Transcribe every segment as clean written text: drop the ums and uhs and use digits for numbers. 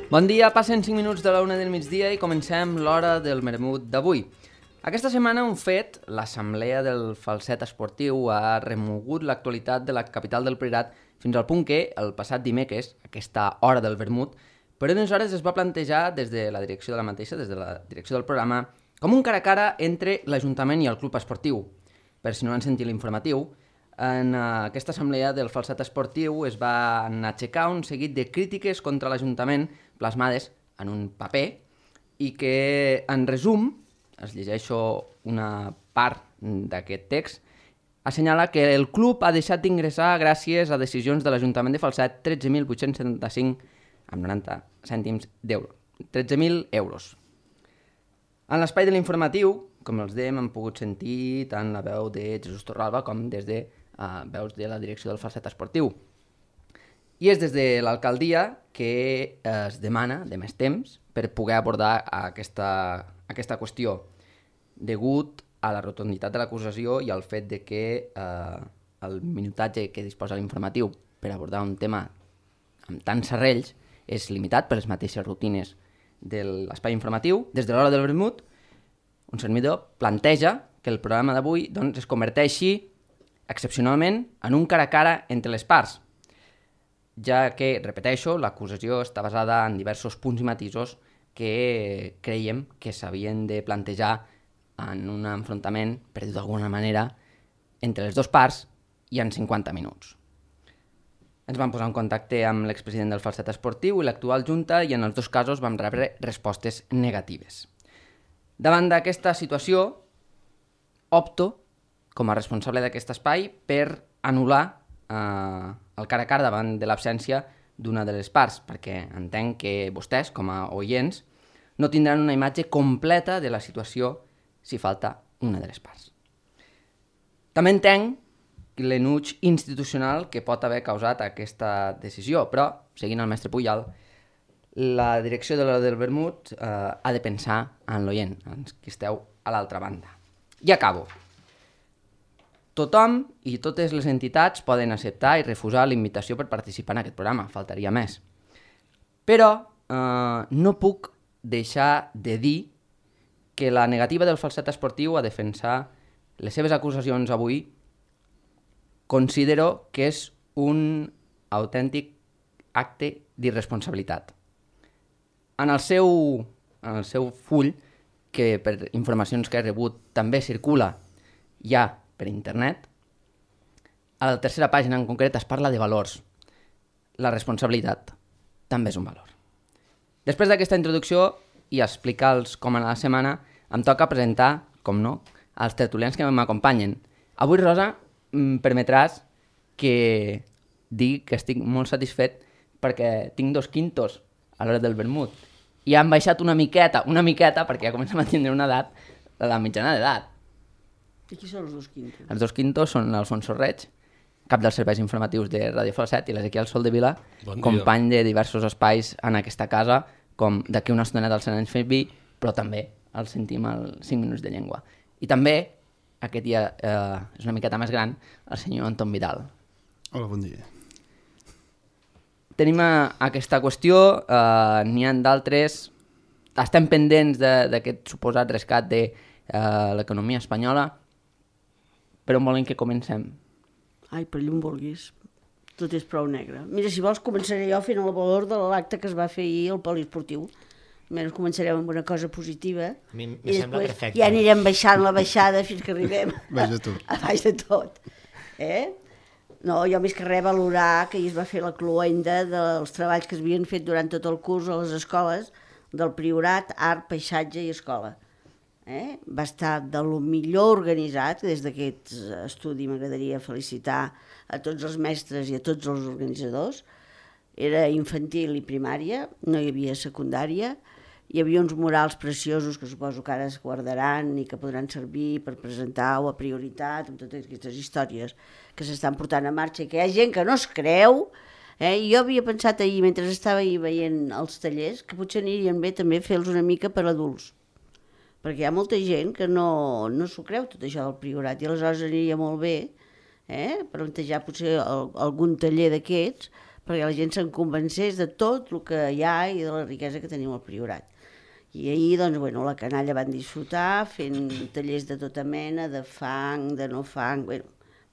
Bon dia, passen 5 minuts de la 1 del migdia i comencem l'hora del vermut d'avui. Aquesta setmana un fet, l'assemblea del falset esportiu ha remogut l'actualitat de la capital del Priorat fins al punt que, el passat dimecres, aquesta hora del vermut, per unes hores es va plantejar des de la direcció de la mateixa, des de la direcció del programa, com un cara a cara entre l'Ajuntament i el club esportiu. Per si no han sentit l'informatiu, en aquesta assemblea del falset esportiu es van aixecar un seguit de crítiques contra l'Ajuntament plasmades en un paper i que, en resum, es llegeixo una part d'aquest text, assenyala que el club ha deixat d'ingressar gràcies a decisions de l'Ajuntament de Falset 13.875 amb 90 cèntims d'euro. 13.000 euros. En l'espai de l'informatiu, com els dèiem, han pogut sentir tant la veu de Jesús Torralba com des de veus de la direcció del falset esportiu. I és des de l'alcaldia que es demana de més temps per poder abordar aquesta qüestió, degut a la rotunditat de l'acusació i al fet de que el minutatge que disposa l'informatiu per abordar un tema amb tants serrells és limitat per les mateixes rutines de l'espai informatiu. Des de l'hora del vermut, un servidor planteja que el programa d'avui doncs, es converteixi excepcionalment en un cara a cara entre les parts, ja que, repeteixo, l'acusació està basada en diversos punts i matisos que creiem que s'havien de plantejar en un enfrontament, per dir-ho d'alguna manera, entre les dues parts i en 50 minuts. Ens vam posar en contacte amb l'expresident del falset esportiu i l'actual junta i en els dos casos vam rebre respostes negatives. Davant d'aquesta situació, opto, com a responsable d'aquest espai, per anul·lar el cara a cara davant de l'absència d'una de les parts, perquè entenc que vostès, com a oients, no tindran una imatge completa de la situació si falta una de les parts. També entenc l'enuig institucional que pot haver causat aquesta decisió, però, seguint el mestre Pujal, la direcció de l'hora del vermut ha de pensar en l'oient, en qui esteu a l'altra banda. I acabo. Tothom i totes les entitats poden acceptar i refusar la invitació per participar en aquest programa, faltaria més. Però no puc deixar de dir que la negativa del falset esportiu a defensar les seves acusacions avui considero que és un autèntic acte d'irresponsabilitat. En el seu full, que per informacions que he rebut també circula ja per internet, a la tercera pàgina en concret es parla de valors. La responsabilitat també és un valor. Després d'aquesta introducció i explicar-los com anar la setmana, em toca presentar, com no, els tertulians que m'acompanyen. Avui, Rosa, em permetràs que digui que estic molt satisfet perquè tinc 2 quintos a l'hora del vermut. I han baixat una miqueta, perquè ja comencem a tindre una edat, la mitjana d'edat. I qui són els 2 quintos? Els 2 quintos són l'Alfonso Reig, cap dels serveis informatius de Ràdio Falset, i l'Ezequiel Soldevila, company de diversos espais en aquesta casa, com d'aquí una estoneta al Sant Anys Fent Vi, però també el sentim als 5 minuts de llengua. I també, aquest dia és una miqueta més gran, el senyor Anton Vidal. Hola, bon dia. Tenim aquesta qüestió, n'hi ha d'altres, estem pendents d'aquest suposat rescat de l'economia espanyola. Per on volen que comencem? Ai, per allà on vulguis. Tot és prou negre. Mira, si vols començaré jo fent el valor de l'acte que es va fer ahir al poliesportiu. Almenys començarem amb una cosa positiva. A mi i sembla després perfecte. ja anirem baixant la baixada fins que arribem Baix de tot. a baix de tot. No, jo més que res valorar que ahir es va fer la cloenda dels treballs que es havien fet durant tot el curs a les escoles del Priorat, Art, Paisatge i Escola. Va estar de lo millor organitzat. Des d'aquest estudi m'agradaria felicitar a tots els mestres i a tots els organitzadors. Era infantil i primària, no hi havia secundària, hi havia uns murals preciosos que suposo que ara es guardaran i que podran servir per presentar o a prioritat amb totes aquestes històries que s'estan portant a marxa i que hi ha gent que no es creu. I jo havia pensat ahir, mentre estava ahir veient els tallers, que potser anirien bé també fer-los una mica per adults, perquè hi ha molta gent que no s'ho creu tot això del Priorat, i aleshores aniria molt bé plantejar potser algun taller d'aquests perquè la gent se'n convencés de tot el que hi ha i de la riquesa que tenim al Priorat. I ahir, doncs, bueno, la canalla van disfrutar fent tallers de tota mena, de fang, de no fang, bueno,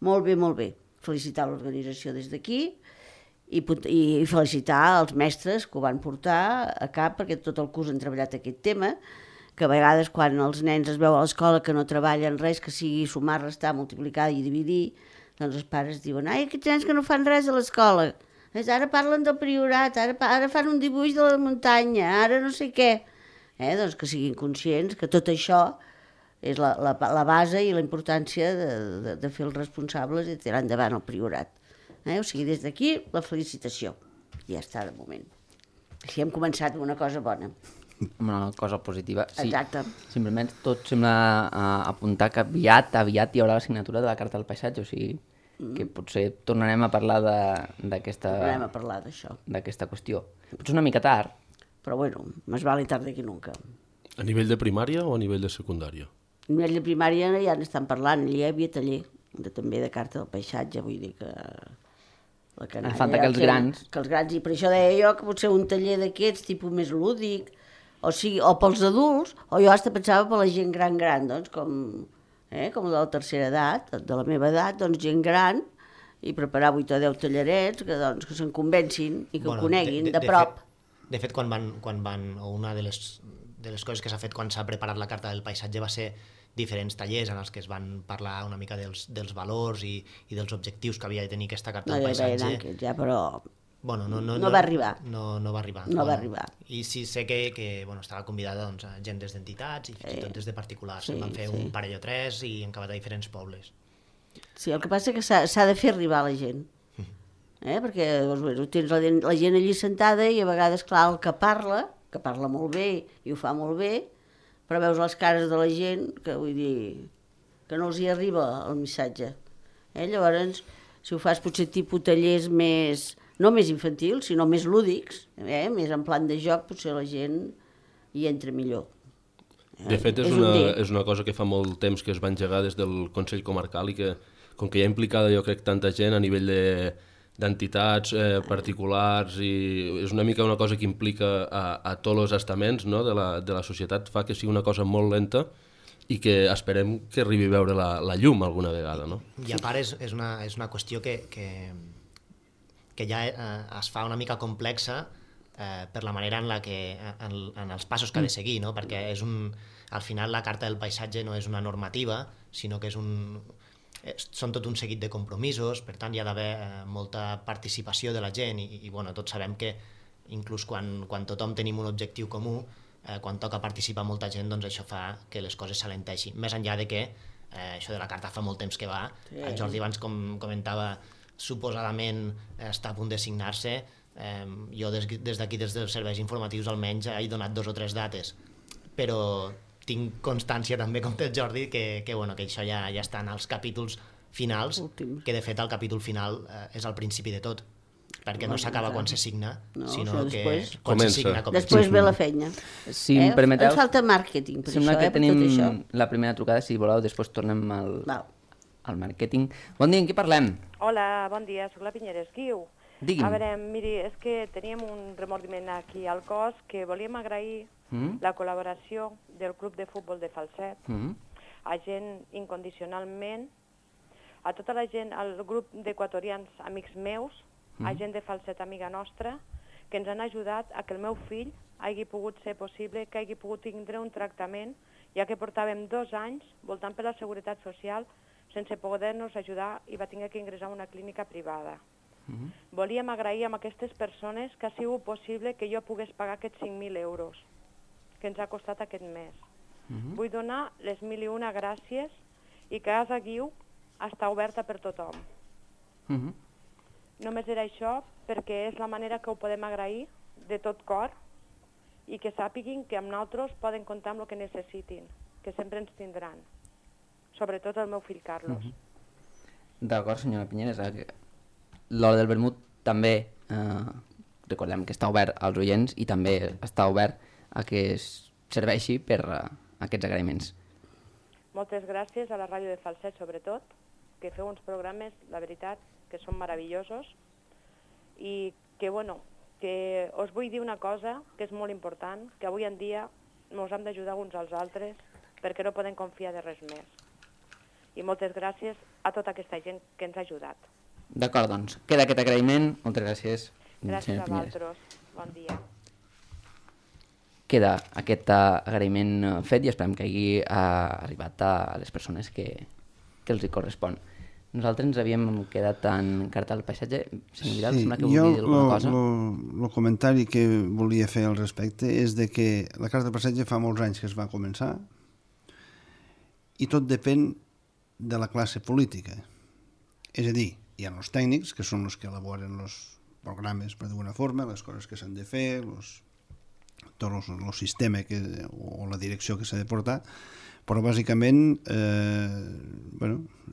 molt bé, molt bé. Felicitar l'organització des d'aquí i felicitar els mestres que ho van portar a cap, perquè tot el curs han treballat aquest tema, que a vegades quan els nens es veu a l'escola que no treballen res, que sigui sumar, restar, multiplicar i dividir, doncs els pares diuen, ai, aquests nens que no fan res a l'escola, ara parlen del Priorat, ara fan un dibuix de la muntanya, ara no sé què. Doncs que siguin conscients que tot això és la base i la importància de fer els responsables i tirar endavant el Priorat. O sigui, des d'aquí, la felicitació. Ja està, de moment. Així hem començat amb una cosa bona. Una cosa positiva. Sí, exacte. Simplement tot sembla apuntar que aviat hi haurà la signatura de la Carta del Paisatge, o sigui que potser tornarem a parlar d'aquesta... Tornarem a parlar d'això. D'aquesta qüestió. Potser una mica tard. Però bueno, més vale tarde que nunca. A nivell de primària o a nivell de secundària? A nivell de primària ja n'estan parlant, allà hi havia taller també de Carta del Paisatge, vull dir que... La canalla, falta que els grans... Que els grans, i per això deia jo que potser un taller d'aquests, tipus més lúdic, o pels adults, o jo hasta pensava per la gent gran, doncs, com de la tercera edat, de la meva edat, doncs gent gran, i preparar 8 o 10 tallerets que se'n convencin i que ho coneguin de prop. De fet, quan van, o una de les coses que s'ha fet quan s'ha preparat la Carta del Paisatge va ser diferents tallers en els que es van parlar una mica dels valors i dels objectius que havia de tenir aquesta Carta del Paisatge. Ja, però bueno, no va arribar. No va arribar. No va arribar. I sí sé que estava convidada doncs, gent des d'entitats i fins i tot des de particulars. Sí, van fer un parell o 3 i han acabat a diferents pobles. Sí, el que passa és que s'ha de fer arribar a la gent. Perquè doncs, tens la gent allí sentada i a vegades, clar, el que parla molt bé i ho fa molt bé, però veus les cares de la gent que vull dir que no els hi arriba el missatge. Llavors, si ho fas potser tipus tallers no més infantils, sinó més lúdics, més en plan de joc, potser la gent hi entra millor. De fet, és una cosa que fa molt temps que es va engegar des del Consell Comarcal i que, com que hi ha implicada, jo crec, tanta gent a nivell d'entitats particulars, i és una mica una cosa que implica a tots els estaments, no, de la societat, fa que sigui una cosa molt lenta i que esperem que arribi a veure la llum alguna vegada. No? I a part és una qüestió que ja es fa una mica complexa per la manera en els passos que ha de seguir, no? Perquè al final la Carta del Paisatge no és una normativa, sinó que són tot un seguit de compromisos, per tant hi ha d'haver molta participació de la gent i bueno, tots sabem que inclús quan tothom tenim un objectiu comú, quan toca participar molta gent, doncs això fa que les coses s'alenteixin. Més enllà de que això de la carta fa molt temps que va, el Jordi abans comentava suposadament està a punt de signar-se, jo des d'aquí, des dels serveis informatius almenys he donat 2 o 3 dates, però tinc constància també, com té el Jordi, que això ja està en els capítols finals, que de fet el capítol final és el principi de tot, perquè no s'acaba quan se signa, sinó que quan se signa comença. Després ve la feina. Si em permeteu... Ens falta màrqueting per sembla això, que per tenim tot això. la primera trucada, si voleu, després tornem al màrqueting. Bon dia, en qui parlem? Hola, bon dia, soc la Pinyera Esquiu. Digui'm. A veure, miri, és que teníem un remordiment aquí al cos que volíem agrair la col·laboració del Club de Futbol de Falset, a gent incondicionalment, a tota la gent, al grup d'equatorians amics meus, a gent de Falset amiga nostra, que ens han ajudat a que el meu fill hagi pogut ser possible, que hagi pogut tindre un tractament, ja que portàvem 2 anys voltant per la Seguretat Social sense poder-nos ajudar i va haver que ingressar a una clínica privada. Volíem agrair a aquestes persones que ha sigut possible que jo pogués pagar aquests 5.000 euros que ens ha costat aquest mes. Vull donar les 1.001 gràcies i que Casa Guiu està oberta per tothom. Només era això perquè és la manera que ho podem agrair de tot cor i que sàpiguin que amb nosaltres poden comptar amb el que necessitin, que sempre ens tindran. Sobretot el meu fill Carlos. D'acord, senyora Pinyeres. L'Hora del Vermut també, recordem que està obert als oients i també està obert a que es serveixi per aquests agraïments. Moltes gràcies a la ràdio de Falset, sobretot, que feu uns programes, la veritat, que són meravellosos i que us vull dir una cosa que és molt important, que avui en dia ens hem d'ajudar uns als altres perquè no podem confiar de res més. I moltes gràcies a tota aquesta gent que ens ha ajudat. D'acord, doncs, queda aquest agraïment. Moltes gràcies. Gràcies a vosaltres. Bon dia. Queda aquest agraïment fet i esperem que hagi arribat a les persones que els hi correspon. Nosaltres ens havíem quedat en carta del paisatge. Senyor Vidal, sembla que volia dir alguna cosa. El comentari que volia fer al respecte és de que la carta del paisatge fa molts anys que es va començar i tot depèn de la classe política. És a dir, hi ha els tècnics, que són els que elaboren els programes, per d'alguna forma, les coses que s'han de fer, tot el sistema o la direcció que s'ha de portar, però bàsicament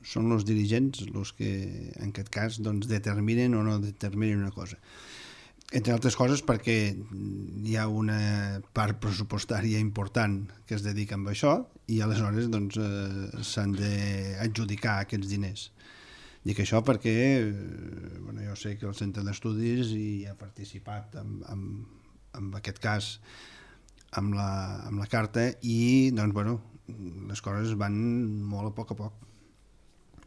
són els dirigents els que en aquest cas determinen o no determinen una cosa. Entre altres coses perquè hi ha una part pressupostària important que es dedica a això i aleshores s'han d'adjudicar aquests diners. Dic això perquè jo sé que el Centre d'Estudis hi ha participat en aquest cas amb la carta i les coses van molt a poc.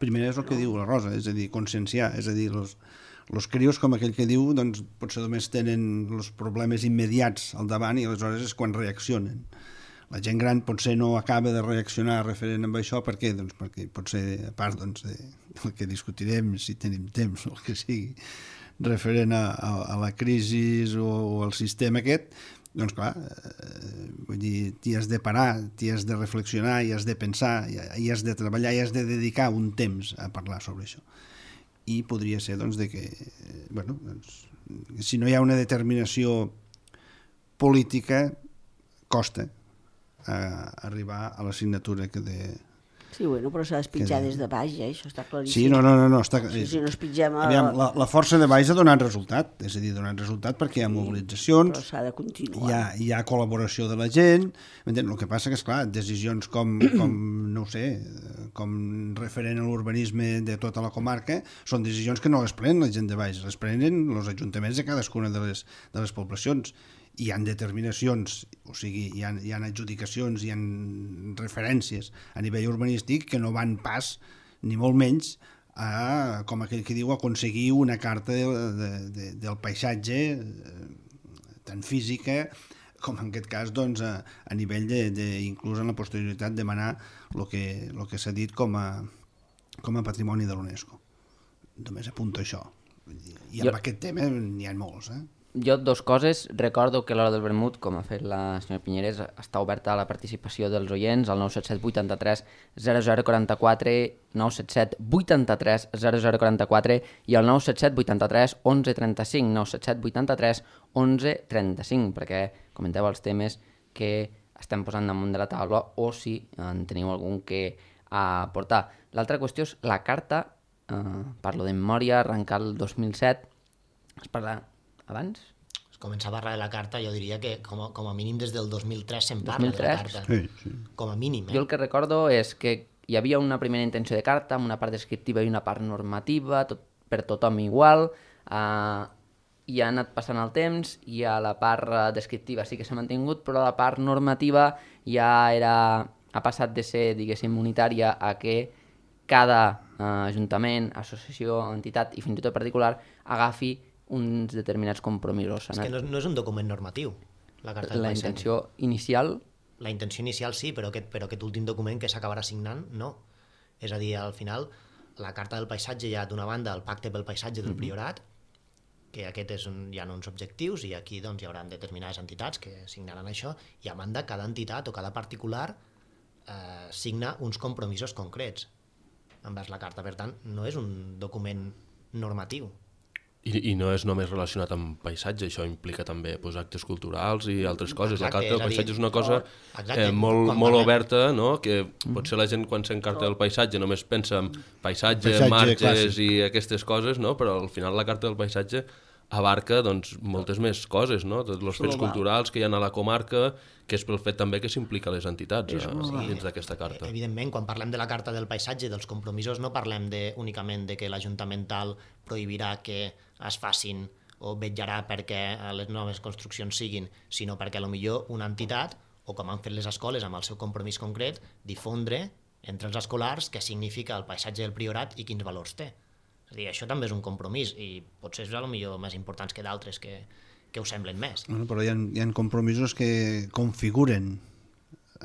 Primer és el que diu la Rosa, és a dir, conscienciar, és a dir, els crios, com aquell que diu, potser només tenen els problemes immediats al davant i aleshores és quan reaccionen. La gent gran potser no acaba de reaccionar referent amb això, per què? Perquè potser, a part del que discutirem, si tenim temps o el que sigui, referent a la crisi o al sistema aquest, doncs clar, vull dir, t'hi has de parar, t'hi has de reflexionar, hi has de pensar, hi has de treballar, hi has de dedicar un temps a parlar sobre això. I podria ser que si no hi ha una determinació política costa arribar a la signatura que de... Sí, però s'ha d'espitjar des de baix, això està claríssim. Sí, no, està... Si no es pitgem... La força de baix ha donat resultat, és a dir, ha donat resultat perquè hi ha mobilitzacions, però s'ha de continuar. Hi ha col·laboració de la gent, el que passa que, esclar, decisions com no ho sé, com referent a l'urbanisme de tota la comarca, són decisions que no les prenen la gent de baix, les prenen els ajuntaments de cadascuna de les poblacions. Hi ha determinacions, o sigui, hi ha adjudicacions, hi ha referències a nivell urbanístic que no van pas, ni molt menys, com aquell que diu, aconseguir una carta del paisatge tan física com en aquest cas a nivell inclús en la posterioritat demanar el que s'ha dit com a patrimoni de l'UNESCO. Només apunto això. I amb aquest tema n'hi ha molts, Jo, dues coses. Recordo que l'Hora del Vermut, com ha fet la senyora Pinyeres, està oberta a la participació dels oients al 977 83 0044, 977 83 0044 i al 977 83 1135, 977 83 1135, perquè comenteu els temes que estem posant damunt de la taula o si en teniu algun que aportar. L'altra qüestió és la carta, parlo de memòria, arrencar el 2007, es parla... Abans? Es comença a parlar de la carta, jo diria que com a mínim des del 2003 se'n parla de la carta. Sí. Com a mínim. Jo el que recordo és que hi havia una primera intenció de carta, amb una part descriptiva i una part normativa, per tothom igual, i ha anat passant el temps, i a la part descriptiva sí que s'ha mantingut, però la part normativa ja ha passat de ser, diguéssim, unitària a que cada ajuntament, associació, entitat i fins i tot particular agafi uns determinats compromisos. És que no és un document normatiu, la carta del paisatge. La intenció inicial... La intenció inicial sí, però aquest últim document que s'acabarà signant, no. És a dir, al final, la carta del paisatge hi ha d'una banda el pacte pel paisatge del Priorat, que aquest hi ha uns objectius i aquí hi haurà determinades entitats que signaran això, i a banda cada entitat o cada particular signa uns compromisos concrets envers la carta. Per tant, no és un document normatiu. I no és només relacionat amb paisatge, això implica també actes culturals i altres coses. La carta del paisatge és una cosa molt oberta, no? Que potser la gent quan s'encarta del paisatge només pensa en paisatge marges i aquestes coses, no? Però al final la carta del paisatge abarca moltes més coses, no? Tots els fets culturals que hi ha a la comarca, que és pel fet també que s'implica les entitats dins d'aquesta carta. Evidentment, quan parlem de la carta del paisatge, dels compromisos, no parlem únicament de que l'Ajuntament tal prohibirà que es facin o vetllarà perquè les noves construccions siguin, sinó perquè potser una entitat, o com han fet les escoles amb el seu compromís concret, difondre entre els escolars què significa el paisatge del Priorat i quins valors té. És a dir, això també és un compromís i potser és potser més importants que d'altres que ho semblen més. Bueno, però hi ha compromisos que configuren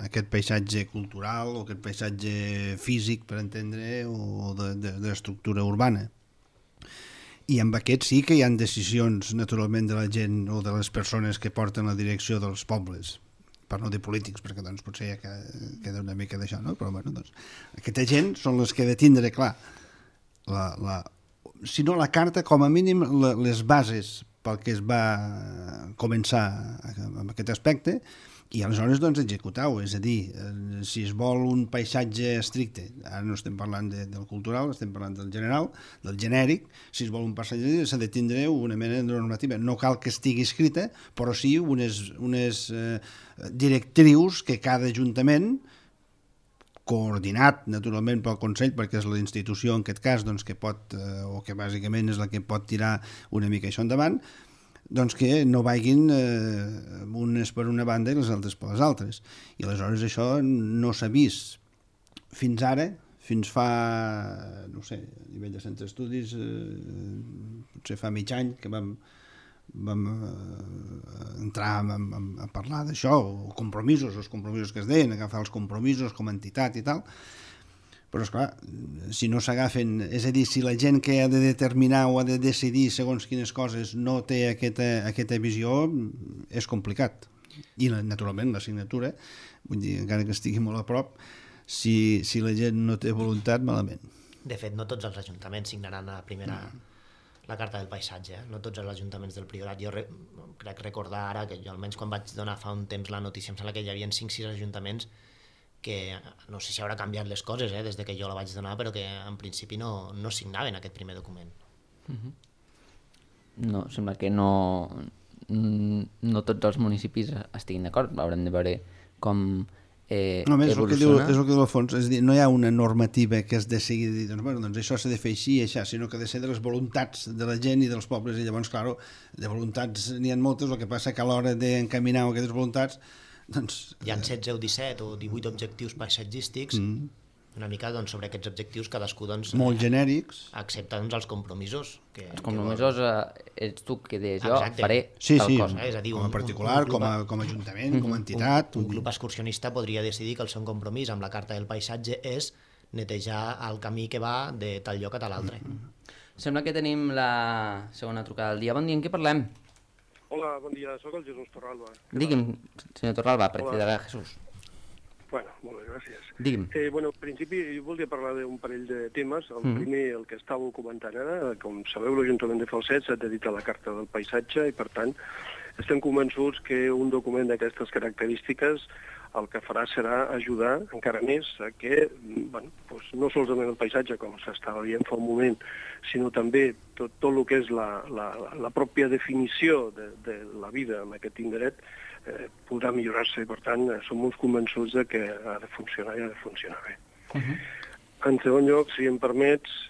aquest paisatge cultural o aquest paisatge físic, per entendre, o d'estructura urbana. I amb aquest sí que hi ha decisions, naturalment, de la gent o de les persones que porten la direcció dels pobles, per no dir polítics, perquè doncs, potser ja queda una mica d'això, no? Però bueno, doncs, aquesta gent són les que ha de tindre clar, si no la carta, com a mínim les bases pel que es va començar amb aquest aspecte, i aleshores doncs executar-ho, és a dir, si es vol un paisatge estricte, ara no estem parlant del cultural, estem parlant del general, del genèric, si es vol un paisatge s'ha de tindre una mena de normativa, no cal que estigui escrita, però sí unes directrius que cada ajuntament, coordinat naturalment pel Consell, perquè és la institució en aquest cas doncs, que pot, o que bàsicament és la que pot tirar una mica això endavant, doncs que no vagin unes per una banda i les altres per les altres. I aleshores això no s'ha vist fins ara, fins fa, no sé, a nivell de centres d'estudis, potser fa mig any que vam entrar a parlar d'això, o compromisos, els compromisos que es deien, agafar els compromisos com a entitat i tal. Però, esclar, si no s'agafen... És a dir, si la gent que ha de determinar o ha de decidir segons quines coses no té aquesta visió, és complicat. I, naturalment, la signatura, vull dir, encara que estigui molt a prop, si la gent no té voluntat, malament. De fet, no tots els ajuntaments signaran la carta del paisatge, no tots els ajuntaments del Priorat. Jo crec recordar ara que jo, almenys quan vaig donar fa un temps la notícia, em sembla que hi havia 5-6 ajuntaments que no sé si haurà canviat les coses des de que jo la vaig donar, però que en principi no signaven aquest primer document. No, sembla que no tots els municipis estiguin d'acord, haurem de veure com evoluciona. És el que diu Alfons, és a dir, no hi ha una normativa que es decideixi dir, doncs això s'ha de fer així i això, sinó que ha de ser de les voluntats de la gent i dels pobles, i llavors, clar, de voluntats n'hi ha moltes, el que passa que a l'hora d'encaminar aquestes voluntats hi ha 16 o 17 o 18 objectius paisatgístics, una mica sobre aquests objectius cadascú molt genèrics, accepta els compromisos. Els compromisos ets tu que deies jo, faré tal cosa. És a dir, com a particular, com a ajuntament, com a entitat. Un club excursionista podria decidir que el seu compromís amb la carta del paisatge és netejar el camí que va de tal lloc a tal altre. Sembla que tenim la segona trucada del dia. Bon dia, en què parlem? Hola, bon dia, sóc el Jesús Torralba. Digui'm, senyor Torralba, precisarà Jesús. Bueno, molt bé, gràcies. Digui'm. En principi jo volia parlar d'un parell de temes. El primer, el que estàveu comentant ara, com sabeu, l'Ajuntament de Falset s'ha dedicat a la Carta del Paisatge i, per tant, estem convençuts que un document d'aquestes característiques el que farà serà ajudar encara més a que, no solament el paisatge, com s'estava dient fa un moment, sinó també tot el que és la pròpia definició de la vida en aquest indret podrà millorar-se i, per tant, som molt convençuts que ha de funcionar i ha de funcionar bé. En segon lloc, si em permets,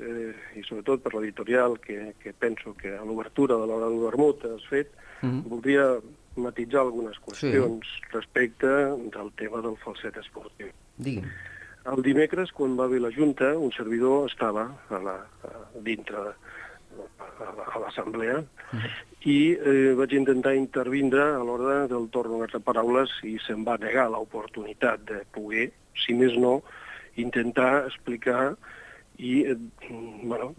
i sobretot per l'editorial, que penso que a l'obertura de l'hora del vermut has fet, voldria matitzar algunes qüestions respecte del tema del falset esportiu. Digui'm. El dimecres, quan va haver la Junta, un servidor estava dintre a l'assemblea i vaig intentar intervindre a l'hora del torn de paraules i se'm va negar l'oportunitat de poder, si més no, intentar explicar i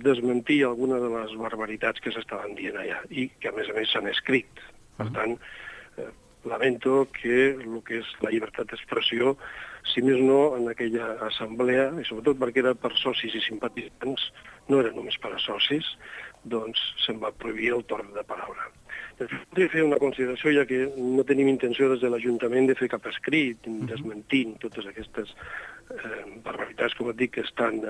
desmentir alguna de les barbaritats que s'estaven dient allà i que, a més, s'han escrit. Per tant, lamento que el que és la llibertat d'expressió, si més no, en aquella assemblea, i sobretot perquè era per socis i simpatitzants, no era només per a socis, doncs se'n va prohibir el torn de paraula. Voldria fer una consideració, ja que no tenim intenció des de l'Ajuntament de fer cap escrit desmentint totes aquestes barbaritats, com et dic, que estan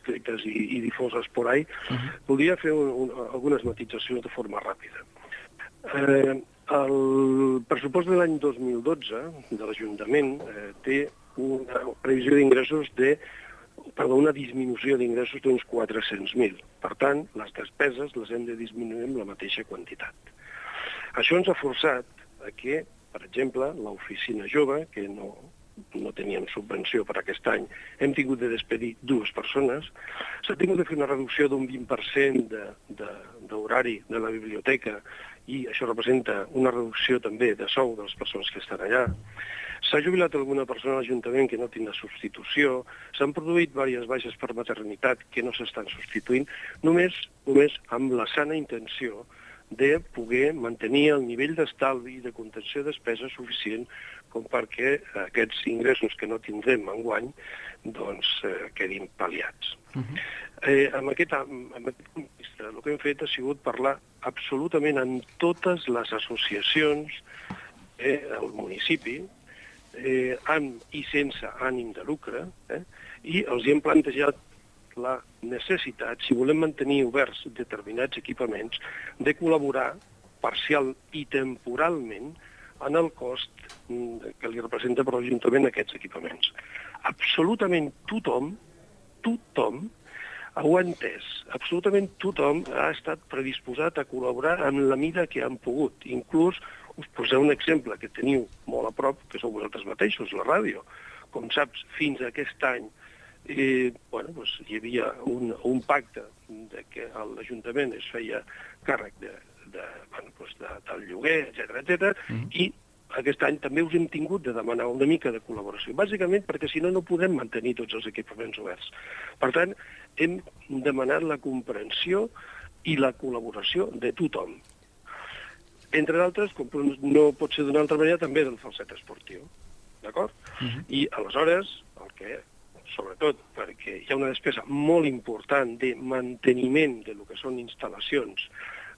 escrites i difoses por ahí. Voldria fer algunes matitzacions de forma ràpida. El pressupost de l'any 2012 de l'Ajuntament té una previsió d'ingressos de una disminució d'ingressos d'uns 400.000. Per tant, les despeses les hem de disminuir amb la mateixa quantitat. Això ens ha forçat a que, per exemple, l'oficina jove, que no teníem subvenció per aquest any, hem tingut de despedir 2 persones, s'ha tingut de fer una reducció d'un 20% d'horari de la biblioteca i això representa una reducció també de sou de les persones que estan allà. S'ha jubilat alguna persona a l'Ajuntament que no tindrà substitució, s'han produït diverses baixes per maternitat que no s'estan substituint, només amb la sana intenció de poder mantenir el nivell d'estalvi i de contenció de despesa suficient com perquè aquests ingressos que no tindrem enguany doncs, quedin pal·liats. Amb aquest punt de vista, el que hem fet ha sigut parlar absolutament amb totes les associacions del municipi, amb i sense ànim de lucre, i els hem plantejat la necessitat, si volem mantenir oberts determinats equipaments, de col·laborar parcial i temporalment en el cost que li representa per l'Ajuntament aquests equipaments. Absolutament tothom ho ha entès. Absolutament tothom ha estat predisposat a col·laborar en la mida que han pogut. Inclús us poseu un exemple que teniu molt a prop, que sou vosaltres mateixos, la ràdio. Com saps, fins a aquest any hi havia un pacte que l'Ajuntament es feia càrrec del lloguer, etc. I aquest any també us hem tingut de demanar una mica de col·laboració, bàsicament perquè si no, no podem mantenir tots els equipaments oberts. Per tant, hem demanat la comprensió i la col·laboració de tothom. Entre d'altres, com no pot ser d'una altra manera, també del falset esportiu. D'acord? I aleshores, sobretot perquè hi ha una despesa molt important de manteniment de lo que són instal·lacions,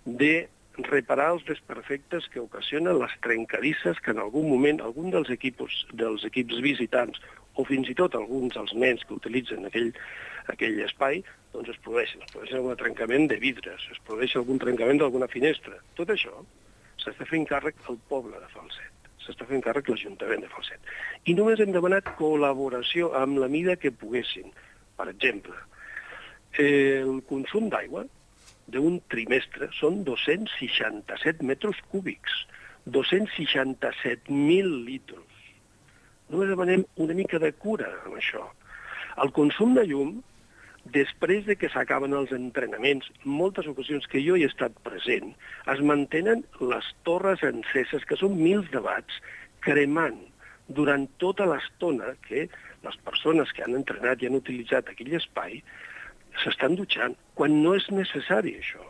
de reparar els desperfectes que ocasionen les trencadisses que en algun moment algun dels equips visitants o fins i tot alguns dels nens que utilitzen aquell espai, doncs es produeixen algun trencament de vidres, es produeix algun trencament d'alguna finestra. Tot això s'està fent càrrec al poble de Falset, s'està fent càrrec l'Ajuntament de Falset. I només hem demanat col·laboració amb la mida que poguessin. Per exemple, el consum d'aigua d'un trimestre són 267 metres cúbics, 267.000 litres. Només demanem una mica de cura amb això. El consum de llum, després de que s'acaben els entrenaments, moltes ocasions que jo hi he estat present, es mantenen les torres enceses, que són 1.000 de watts, cremant durant tota l'estona que les persones que han entrenat i han utilitzat aquell espai s'estan dutxant, quan no és necessari això.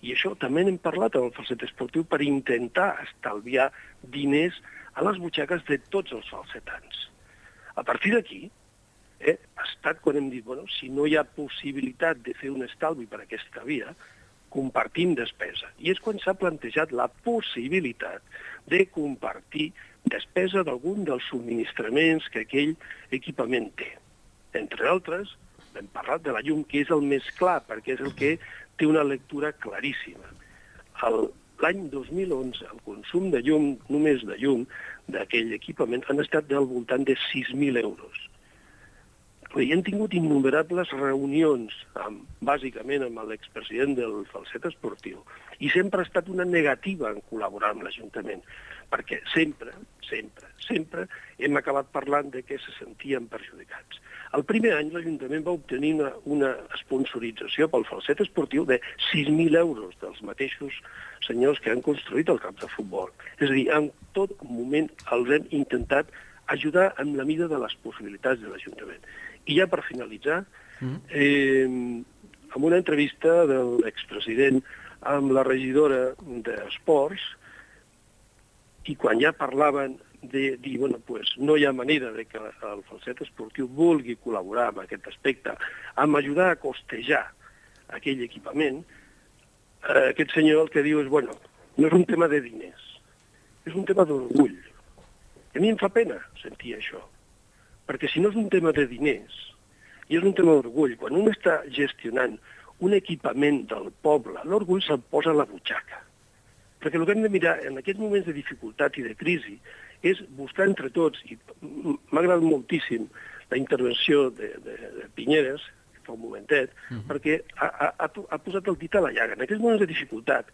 I això també n'hem parlat amb el falset esportiu per intentar estalviar diners a les butxaques de tots els falsetans. A partir d'aquí, ha estat quan hem dit, si no hi ha possibilitat de fer un estalvi per aquesta via, compartim despesa. I és quan s'ha plantejat la possibilitat de compartir despesa d'algun dels subministraments que aquell equipament té. Entre altres, hem parlat de la llum, que és el més clar, perquè és el que té una lectura claríssima. L'any 2011, el consum de llum, només de llum, d'aquell equipament, han estat del voltant de 6.000 euros. I hem tingut innumerables reunions, bàsicament amb l'expresident del falset esportiu, i sempre ha estat una negativa en col·laborar amb l'Ajuntament, perquè sempre hem acabat parlant de que se sentien perjudicats. El primer any l'Ajuntament va obtenir una sponsorització pel falset esportiu de 6.000 euros dels mateixos senyors que han construït el camp de futbol. És a dir, en tot moment els hem intentat ajudar en la mida de les possibilitats de l'Ajuntament. I ja per finalitzar, amb una entrevista de l'expresident amb la regidora d'Esports, i quan ja parlaven de dir, no hi ha manera de que el falset esportiu vulgui col·laborar amb aquest aspecte, amb ajudar a costejar aquell equipament, aquest senyor el que diu és, no és un tema de diners, és un tema d'orgull. I a mi em fa pena sentir això, perquè si no és un tema de diners, i és un tema d'orgull, quan un està gestionant un equipament del poble, l'orgull se'l posa a la butxaca. Perquè el que hem de mirar en aquests moments de dificultat i de crisi és buscar entre tots, i m'ha agradat moltíssim la intervenció de Pinyeres, fa un momentet, perquè ha posat el dit a la llaga. En aquests moments de dificultat,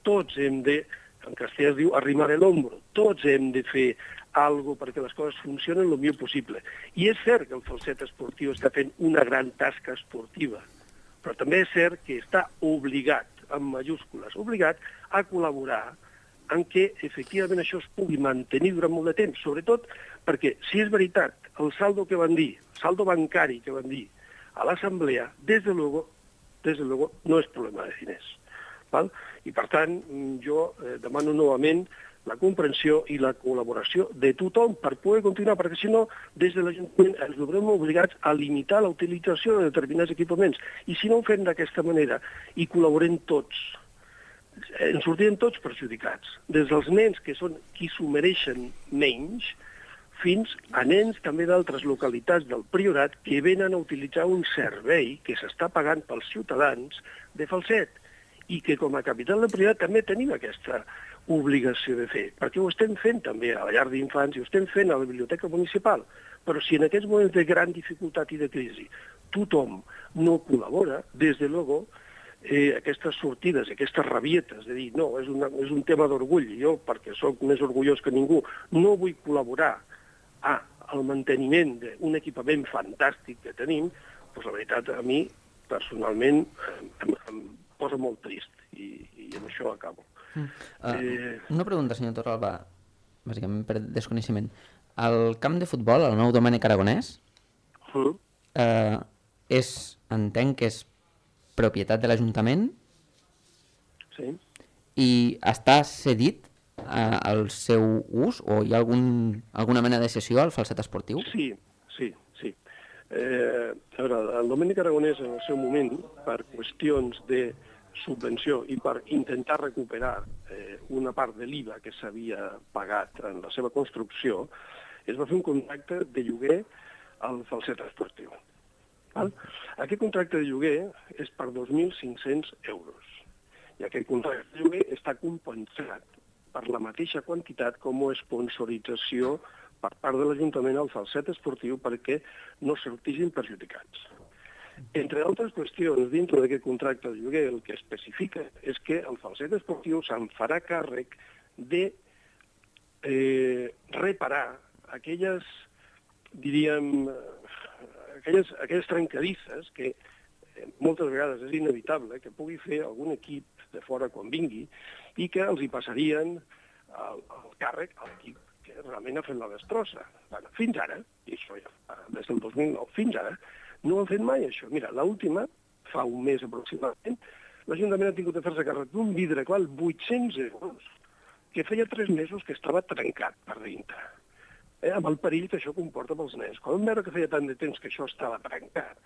tots hem de, en castellà es diu arrimar el hombro, tots hem de fer alguna perquè les coses funcionen el millor possible. I és cert que el Falset Esportiu està fent una gran tasca esportiva, però també és cert que està obligat, amb majúscules, obligat a col·laborar en què efectivament això es pugui mantenir durant molt de temps, sobretot perquè, si és veritat, el saldo que van dir, el saldo bancari que van dir a l'assemblea, des de luego, no és problema de diners. Val? I per tant, jo demano novament la comprensió i la col·laboració de tothom per poder continuar, perquè si no, des de l'Ajuntament ens veurem obligats a limitar la utilització de determinats equipaments. I si no ho fem d'aquesta manera i col·laborem tots, ens sortirem tots perjudicats, des dels nens que són qui s'ho mereixen menys, fins a nens també d'altres localitats del Priorat que venen a utilitzar un servei que s'està pagant pels ciutadans de Falset i que com a capital del Priorat també tenim aquesta obligació de fer, perquè ho estem fent també a la llar d'infants i ho estem fent a la biblioteca municipal, però si en aquests moments de gran dificultat i de crisi tothom no col·labora, des de luego, aquestes sortides, aquestes rabietes de dir no, és un tema d'orgull, jo perquè sóc més orgullós que ningú, no vull col·laborar al manteniment d'un equipament fantàstic que tenim, doncs la veritat a mi personalment em posa molt trist i amb això acabo. Una pregunta, senyor Torralba, bàsicament per desconeixement. El camp de futbol, el nou Domènec Aragonès, entenc que és propietat de l'Ajuntament? Sí. I està cedit al seu ús o hi ha alguna mena de cessió al Falset Esportiu? Sí. A veure, el Domènec Aragonès en el seu moment, per qüestions de subvenció i per intentar recuperar una part de l'IVA que s'havia pagat en la seva construcció, es va fer un contracte de lloguer al Falset Esportiu. Val? Aquest contracte de lloguer és per 2.500 euros. I aquest contracte de lloguer està compensat per la mateixa quantitat com a sponsorització per part de l'Ajuntament al Falset Esportiu perquè no sortissin perjudicats. Entre altres qüestions, dintre d'aquest contracte de lloguer, el que especifica és que el Falset Esportiu se'n farà càrrec de reparar aquelles, diríem, aquelles trencadisses que moltes vegades és inevitable que pugui fer algun equip de fora quan vingui i que els hi passarien el càrrec a l'equip que realment ha fet la destrossa. Bueno, fins ara, i això ja des del 2009, fins ara, no ho han fet mai, això. Mira, l'última, fa un mes aproximadament, l'Ajuntament ha tingut de fer-se càrrec d'un vidre qual 800 euros, que feia 3 mesos que estava trencat per dintre. Amb el perill que això comporta pels nens. Quan vam veure que feia tant de temps que això estava trencat,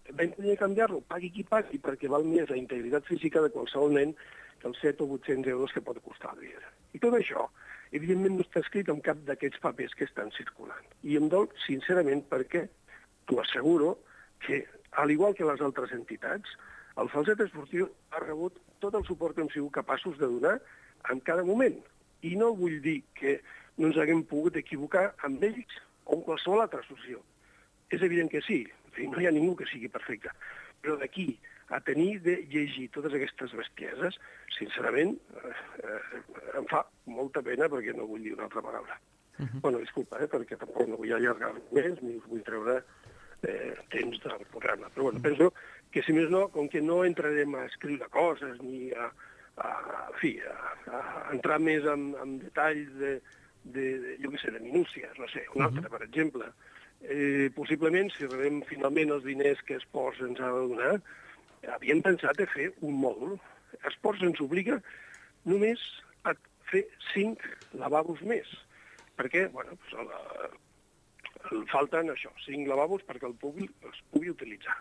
vam tenir de canviar-lo, pagui qui pagui, perquè val més la integritat física de qualsevol nen que els 7 o 800 euros que pot costar el vidre. I tot això, evidentment, no està escrit en cap d'aquests papers que estan circulant. I em dol, sincerament, perquè t'ho asseguro que, al igual que les altres entitats, el Falset Esportiu ha rebut tot el suport que hem sigut capaços de donar en cada moment. I no vull dir que no ens haguem pogut equivocar amb ells o amb qualsevol altra associació. És evident que sí, no hi ha ningú que sigui perfecte. Però d'aquí a tenir de llegir totes aquestes bestieses, sincerament, em fa molta pena perquè no vull dir una altra paraula. Bueno, disculpa, perquè tampoc no vull allargar més ni us vull treure temps del programa. Però bueno, penso que, si més no, com que no entrarem a escriure coses ni a entrar més en detalls jo què sé, de minúcies, no sé, un altre, per exemple. Possiblement, si rebem finalment els diners que Esports ens ha de donar, havíem pensat a fer un mòdul. Esports ens obliga només a fer 5 lavabos més, perquè, bueno, falten això, 5 lavabos perquè els pugui utilitzar.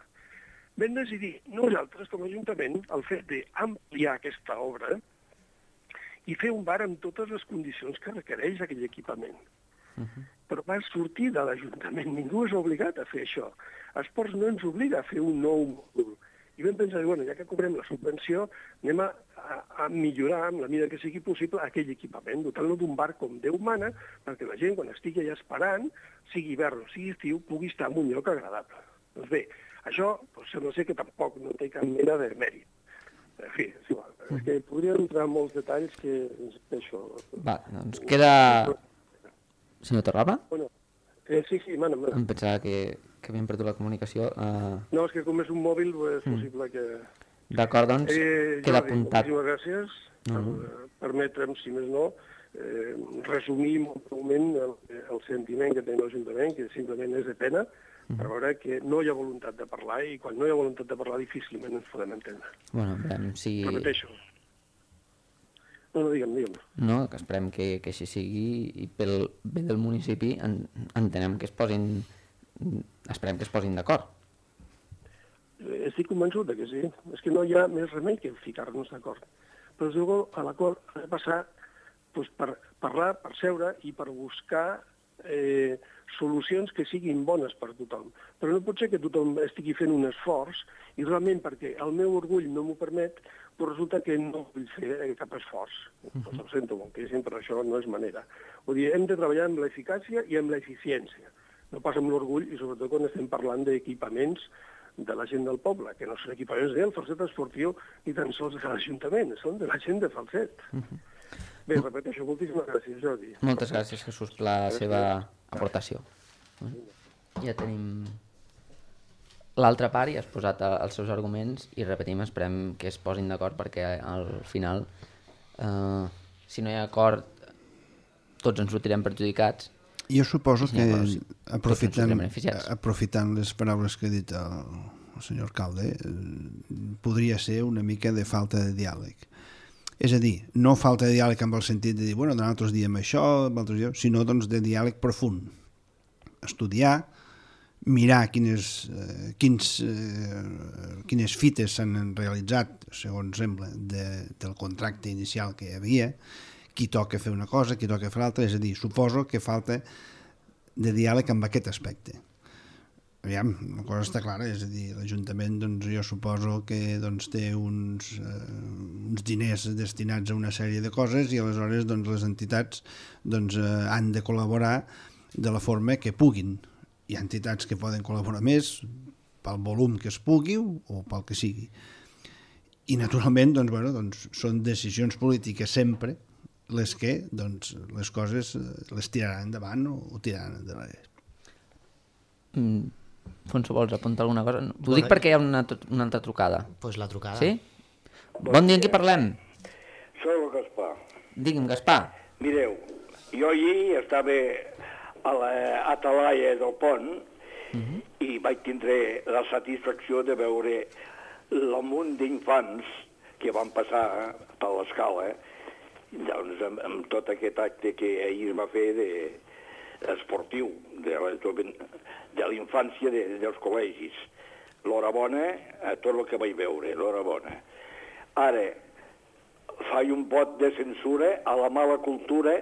Vam decidir nosaltres, com a Ajuntament, el fet d'ampliar aquesta obra i fer un bar amb totes les condicions que requereix aquell equipament. Però va sortir de l'Ajuntament, ningú és obligat a fer això. Esports no ens obliga a fer un nou mòdul. I vam pensar, bueno, ja que cobrem la subvenció, anem a millorar, amb la mida que sigui possible, aquell equipament, dotant-lo d'un bar com Déu mana, perquè la gent, quan estigui allà esperant, sigui hivern o sigui estiu, pugui estar en un lloc agradable. Doncs bé, això sembla ser que tampoc no té cap mena de mèrit. En fi, és igual. És que podria entrar en molts detalls que això... Va, doncs queda... Senyor Torralba? Bueno, sí, mana. Em pensava que havíem perdut la comunicació. No, és que com és un mòbil, és possible que... D'acord, doncs, queda apuntat. Moltíssimes gràcies per permetre'm, si més no, resumir molt breument el sentiment que té l'Ajuntament, que simplement és de pena, per veure que no hi ha voluntat de parlar i quan no hi ha voluntat de parlar difícilment ens podem entendre. Bueno, veurem si... Repeteixo. No, digue'm. No, que esperem que així sigui i pel bé del municipi entenem que esperem que es posin d'acord. Estic convençut que sí. És que no hi ha més remei que ficar-nos d'acord. Però llavors a l'acord ha de passar per parlar, per seure i per buscar solucions que siguin bones per tothom. Però no pot ser que tothom estigui fent un esforç i realment perquè el meu orgull no m'ho permet, però resulta que no vull fer cap esforç. Pues ho sento moltíssim, però això no és manera. Vull dir, hem de treballar amb l'eficàcia i amb l'eficiència. No pas amb l'orgull i sobretot quan estem parlant d'equipaments de la gent del poble, que no són equipaments del Falset Esportiu ni tan sols de l'Ajuntament, són de la gent de Falset. Bé, repeteixo, moltíssimes gràcies, Jordi. Moltes gràcies, Jesús, per la seva aportació. Ja tenim l'altra part i has posat els seus arguments i repetim, esperem que es posin d'acord perquè al final, si no hi ha acord, tots ens sortirem perjudicats. Jo suposo que, aprofitant les paraules que ha dit el senyor alcalde, podria ser una mica de falta de diàleg. És a dir, no falta de diàleg amb el sentit de dir, bueno, nosaltres diem això, sinó doncs, de diàleg profund. Estudiar, mirar quines fites s'han realitzat, segons sembla, del contracte inicial que hi havia, qui toca fer una cosa, qui toca fer l'altra, és a dir, suposo que falta de diàleg amb aquest aspecte. Aviam, una cosa està clara, és a dir, l'Ajuntament, doncs, jo suposo que doncs, té uns diners destinats a una sèrie de coses i aleshores doncs, les entitats doncs, han de col·laborar de la forma que puguin. Hi ha entitats que poden col·laborar més pel volum que es pugui o pel que sigui. I naturalment doncs, bueno, doncs, són decisions polítiques sempre les que doncs, les coses les tiraran endavant o tiraran endavant. Fonso, vols apuntar alguna cosa? T'ho dic perquè hi ha una altra trucada. Doncs la trucada. Sí? Bon dia, amb qui parlem? Soc el Gaspar. Digui'm, Gaspar. Mireu, jo ahir estava a l'Atalaia del Pont i vaig tindre la satisfacció de veure el munt d'infants que van passar per l'escala, doncs, amb tot aquest acte que ahir es va fer esportiu de la infància dels col·legis. L'horabona a tot el que vaig veure, l'horabona. Ara, faig un vot de censura a la mala cultura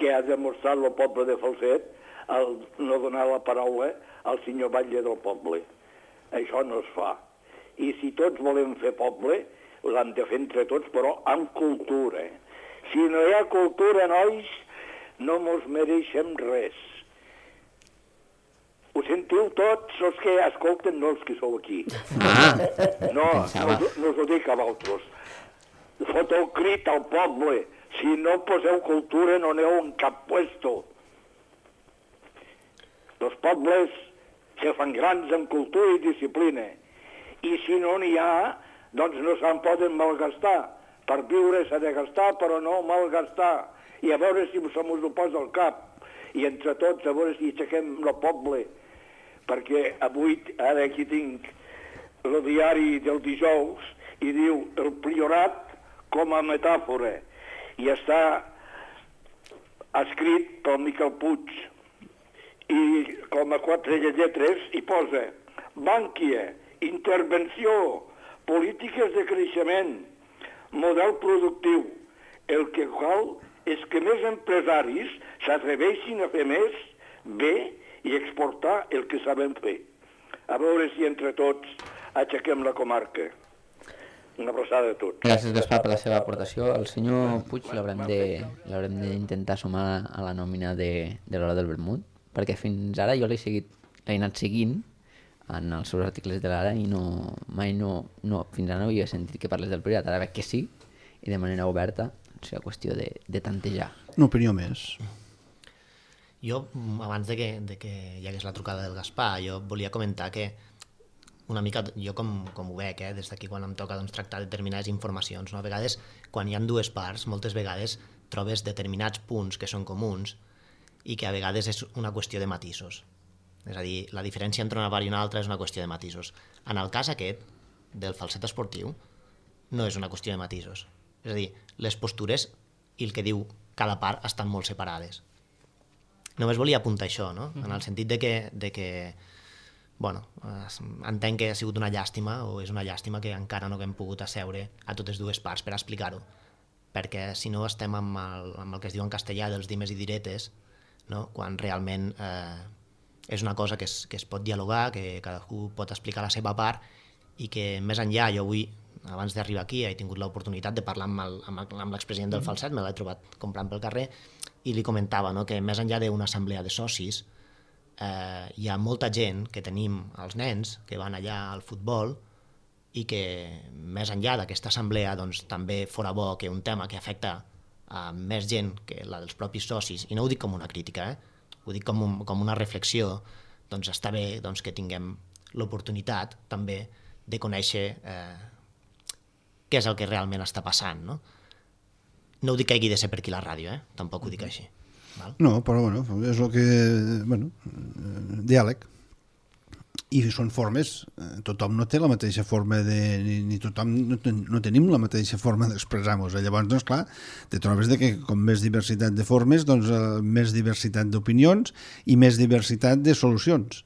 que ha demostrat el poble de Falset al no donar la paraula al senyor batlle del poble. Això no es fa. I si tots volem fer poble, l'hem de fer entre tots, però amb cultura. Si no hi ha cultura, nois, no mos mereixem res. Ho sentiu tots els que escolten, no els que sou aquí. No us ho dic a vosaltres. Fot el crit al poble. Si no poseu cultura, no aneu en cap puesto. Els pobles se fan grans amb cultura i disciplina. I si no n'hi ha, doncs no se'n poden malgastar. Per viure s'ha de gastar, però no malgastar. I a veure si se mos ho posa al cap. I entre tots, a veure si aixequem el poble. Perquè avui, ara aquí tinc el diari del dijous, i diu el priorat com a metàfora. I està escrit pel Miquel Puig. I com a 4 lletres hi posa Bànquia, intervenció, polítiques de creixement, model productiu. El que cal és que més empresaris s'atreveixin a fer més, bé, i exportar el que sabem fer. A veure si entre tots aixequem la comarca. Una abraçada a tots. Gràcies, Gaspar, per la seva aportació. El senyor Puig l'haurem d'intentar sumar a la nòmina de l'Hora del Vermut, perquè fins ara jo l'he anat seguint en els seus articles de l'Ara i fins ara no havia sentit que parles del Priorat. Ara veig que sí, i de manera oberta, o sigui, qüestió de tantejar. Una opinió més. Jo, abans de que hi hagués la trucada del Gaspar, jo volia comentar que una mica, jo com ho veig, des d'aquí quan em toca tractar determinades informacions, a vegades, quan hi ha dues parts, moltes vegades trobes determinats punts que són comuns i que a vegades és una qüestió de matisos. És a dir, la diferència entre una part i una altra és una qüestió de matisos. En el cas aquest, del falset esportiu, no és una qüestió de matisos. És a dir, les postures i el que diu cada part estan molt separades. Només volia apuntar això, no? En el sentit de que bueno, entenc que ha sigut una llàstima, o és una llàstima que encara no haguem pogut asseure a totes dues parts per explicar-ho, perquè si no estem amb el que es diu en castellà dels dimes i diretes, no? Quan realment és una cosa que es pot dialogar, que cadascú pot explicar la seva part, i que més enllà, jo avui, abans d'arribar aquí, he tingut l'oportunitat de parlar amb l'expresident del Falset, me l'he trobat comprant pel carrer, i li comentava, no? Que més enllà d'una assemblea de socis, hi ha molta gent que tenim els nens que van allà al futbol i que més enllà d'aquesta assemblea doncs, també fora bo que un tema que afecta a més gent que la dels propis socis, i no ho dic com una crítica, ho dic com una reflexió, doncs està bé doncs, que tinguem l'oportunitat també de conèixer què és el que realment està passant. No ho dic que hagi de ser per aquí la ràdio, tampoc ho dic així. Val? No, però bueno, és el que... diàleg. I són formes, tothom no té la mateixa forma ni tothom no tenim la mateixa forma d'expressar-nos. Llavors, doncs clar, te trobes que com més diversitat de formes, doncs més diversitat d'opinions i més diversitat de solucions.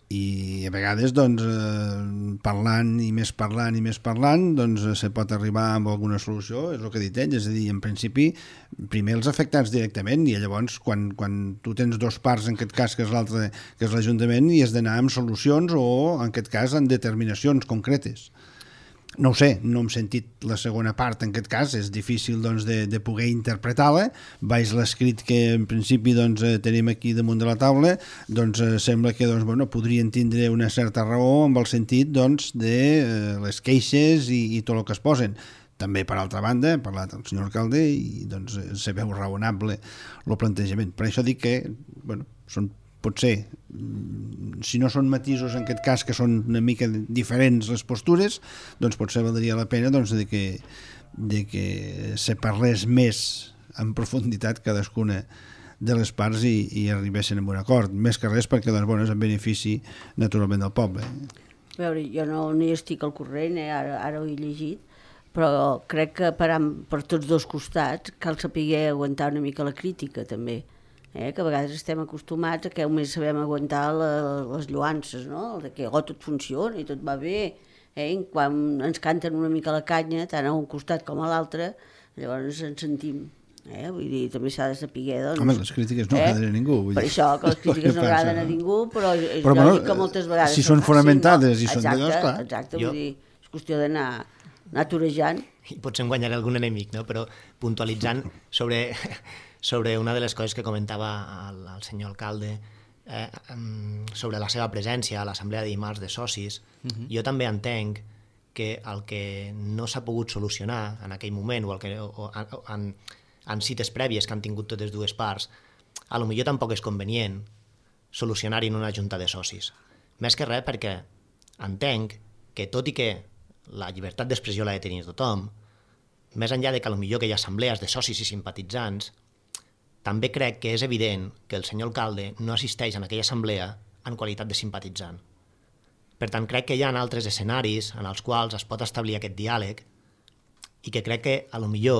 I a vegades, doncs, parlant i més parlant, doncs se pot arribar amb alguna solució, és el que ha dit ell, és a dir, en principi, primer els afectats directament, i llavors, quan tu tens dos parts, en aquest cas, que és l'altre, que és l'Ajuntament, i has d'anar amb solucions o, en aquest cas, en determinacions concretes. No ho sé, no hem sentit la segona part, en aquest cas, és difícil doncs, de poder interpretar-la. Baix l'escrit que en principi doncs, tenim aquí damunt de la taula, doncs sembla que doncs, bueno, podrien tindre una certa raó amb el sentit doncs, de les queixes i tot el que es posen. També, per altra banda, ha parlat el senyor alcalde i doncs, se veu raonable el plantejament. Per això dic que bueno, potser, si no són matisos en aquest cas, que són una mica diferents les postures, doncs potser valdria la pena doncs, de que se parlés més en profunditat cadascuna de les parts i arribessin a un acord. Més que res perquè doncs, bueno, és en benefici naturalment del poble. A veure, jo no hi estic al corrent, ara ho he llegit, però crec que per tots dos costats cal saber aguantar una mica la crítica també. Que a vegades estem acostumats a que només sabem aguantar les lloances, no? De que tot funciona i tot va bé, quan ens canten una mica la canya, tant a un costat com a l'altre, llavors ens sentim. Vull dir, també s'ha de saber, doncs... Home, les crítiques no agraden a ningú. Per això, que les crítiques no agraden a ningú, però és lògic que moltes vegades... Si són fonamentades i són d'allò, clar. Exacte, vull dir, és qüestió d'anar torejant. I potser en guanyaré algun enemic, no? Però puntualitzant sobre una de les coses que comentava el senyor alcalde sobre la seva presència a l'assemblea de dimarts de socis, jo també entenc que el que no s'ha pogut solucionar en aquell moment o en cites prèvies que han tingut totes dues parts, a lo millor tampoc és convenient solucionar-hi en una junta de socis. Més que res perquè entenc que tot i que la llibertat d'expressió l'ha de tenir tothom, més enllà de que potser que hi ha assemblees de socis i simpatitzants, també crec que és evident que el senyor alcalde no assisteix en aquella assemblea en qualitat de simpatitzant. Per tant, crec que hi ha altres escenaris en els quals es pot establir aquest diàleg i que crec que potser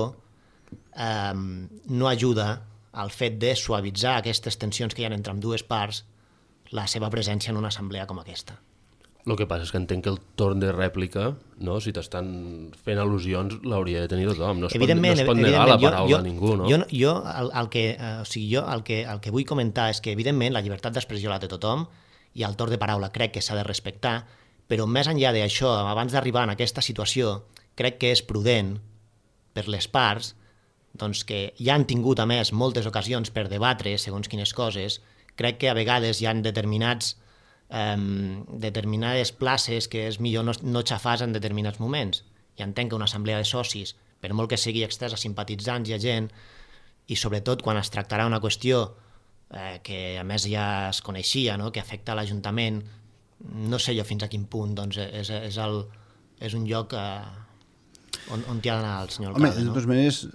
no ajuda al fet de suavitzar aquestes tensions que hi ha entre dues parts la seva presència en una assemblea com aquesta. El que passa és que entenc que el torn de rèplica, no? Si t'estan fent al·lusions, l'hauria de tenir tothom. No es pot negar la paraula a ningú. No? Jo el que vull comentar és que, evidentment, la llibertat d'expressió la té tothom i el torn de paraula crec que s'ha de respectar, Però més enllà d'això, abans d'arribar en aquesta situació, crec que és prudent per les parts, doncs que ja han tingut, a més, moltes ocasions per debatre segons quines coses. Crec que a vegades hi ha determinades places que és millor no xafar en determinats moments. I entenc que una assemblea de socis, per molt que sigui extesa a simpatitzants i a gent, i sobretot quan es tractarà una qüestió que a més ja es coneixia, no? Que afecta a l'Ajuntament, no sé jo fins a quin punt doncs, és un lloc on hi ha d'anar el senyor alcalde. Home, de totes maneres,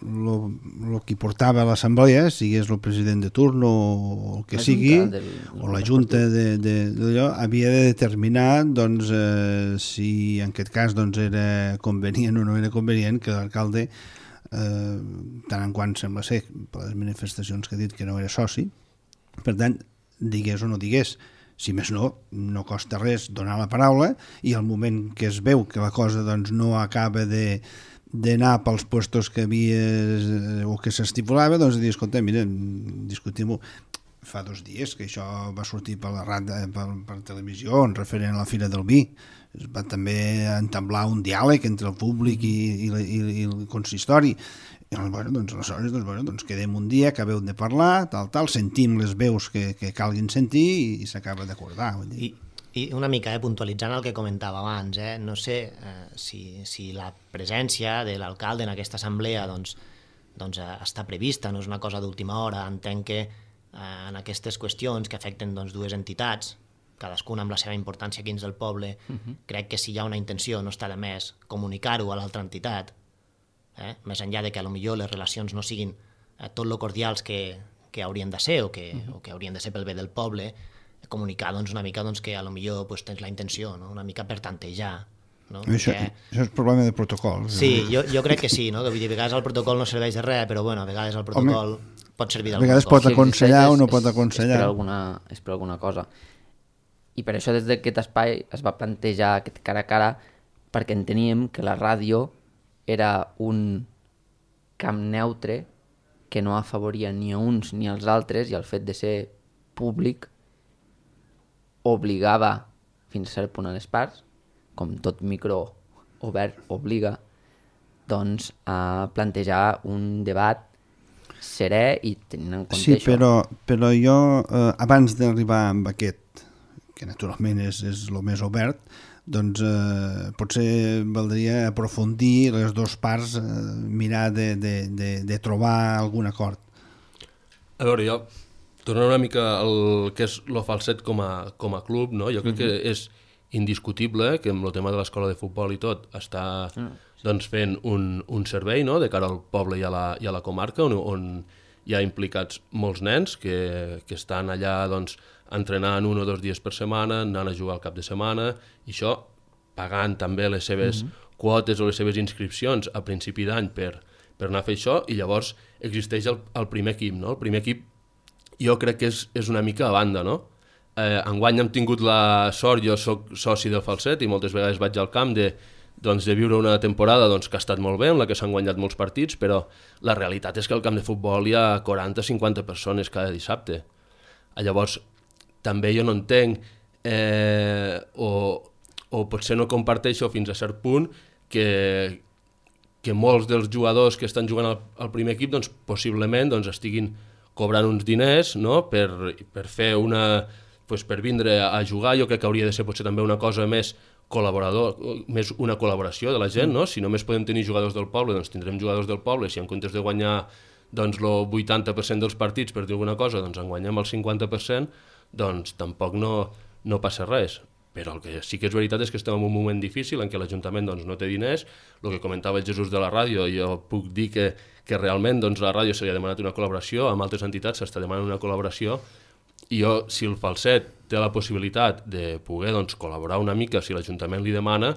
el que portava a l'assemblea, sigués el president de turno o el que sigui, o la junta d'allò, havia de determinar doncs, si en aquest cas doncs, era convenient o no era convenient que l'alcalde, tant en quant sembla ser, per les manifestacions que ha dit que no era soci, per tant, digués o no digués, si més no costa res donar la paraula, i al moment que es veu que la cosa doncs, no acaba d'anar pels puestos que havia o que s'estipulava, doncs dir, escolta, mira, discutim-ho. Fa 2 dies que això va sortir per la ràdio, per televisió, en referent a la Fira del Vi. Es va també entablar un diàleg entre el públic i el consistori. I bueno, doncs, aleshores doncs, quedem un dia, acabeu de parlar, tal, sentim les veus que calguin sentir i s'acaba d'acordar. I una mica puntualitzant el que comentava abans, no sé si la presència de l'alcalde en aquesta assemblea doncs, està prevista, no és una cosa d'última hora. Entenc que en aquestes qüestions que afecten doncs, 2 entitats, cadascuna amb la seva importància aquí dins del poble, crec que si hi ha una intenció no està de més comunicar-ho a l'altra entitat, més enllà de que potser les relacions no siguin tot lo cordials que haurien de ser o que haurien de ser pel bé del poble, comunicar doncs, una mica doncs, que potser pues, tens la intenció, no? Una mica per tantejar. No? Això és problema de protocol. Sí, jo crec que sí, no? Que a vegades el protocol no serveix de res, però bueno, a vegades el protocol pot servir d'alguna cosa. A vegades pot aconsellar o no pot aconsellar. És per alguna cosa. I per això des d'aquest espai es va plantejar aquest cara a cara, perquè enteníem que la ràdio era un camp neutre que no afavoria ni a uns ni als altres, i el fet de ser públic obligava fins a cert punt a les parts, com tot micro obert obliga, doncs a plantejar un debat serè i tenint en compte això. Sí, però jo, abans d'arribar amb aquest, que naturalment és el més obert, doncs potser valdria aprofundir les 2 parts, mirar de trobar algun acord. A veure, jo, tornant una mica al que és el Falset com a club, no? Jo crec que és indiscutible que amb el tema de l'escola de futbol i tot està doncs, fent un servei, no? De cara al poble i a la comarca, on hi ha implicats molts nens que estan allà doncs, entrenant 1 o 2 dies per setmana, anant a jugar al cap de setmana, i això pagant també les seves quotes o les seves inscripcions a principi d'any per anar a fer això, i llavors existeix el primer equip, no? El primer equip jo crec que és una mica a banda, no? Enguany hem tingut la sort, jo soc soci del Falset i moltes vegades vaig al camp de viure una temporada que ha estat molt bé, en la que s'han guanyat molts partits, però la realitat és que al camp de futbol hi ha 40-50 persones cada dissabte. Llavors, també jo no entenc, o potser no comparteixo fins a cert punt, que molts dels jugadors que estan jugant al primer equip doncs, possiblement estiguin cobrant uns diners, no? per fer per vindre a jugar. Jo crec que hauria de ser potser també una cosa més més una col·laboració de la gent, no? Si només podem tenir jugadors del poble, doncs tindrem jugadors del poble. Si en comptes de guanyar doncs, el 80% dels partits, per dir alguna cosa, doncs en guanyem el 50%, doncs tampoc no passa res. Però el que sí que és veritat és que estem en un moment difícil en què l'Ajuntament doncs, no té diners. El que comentava el Jesús de la ràdio, jo puc dir que realment doncs, a la ràdio se li ha demanat una col·laboració, amb altres entitats s'està demanant una col·laboració, i jo, si el Falset té la possibilitat de poder doncs, col·laborar una mica, si l'Ajuntament li demana,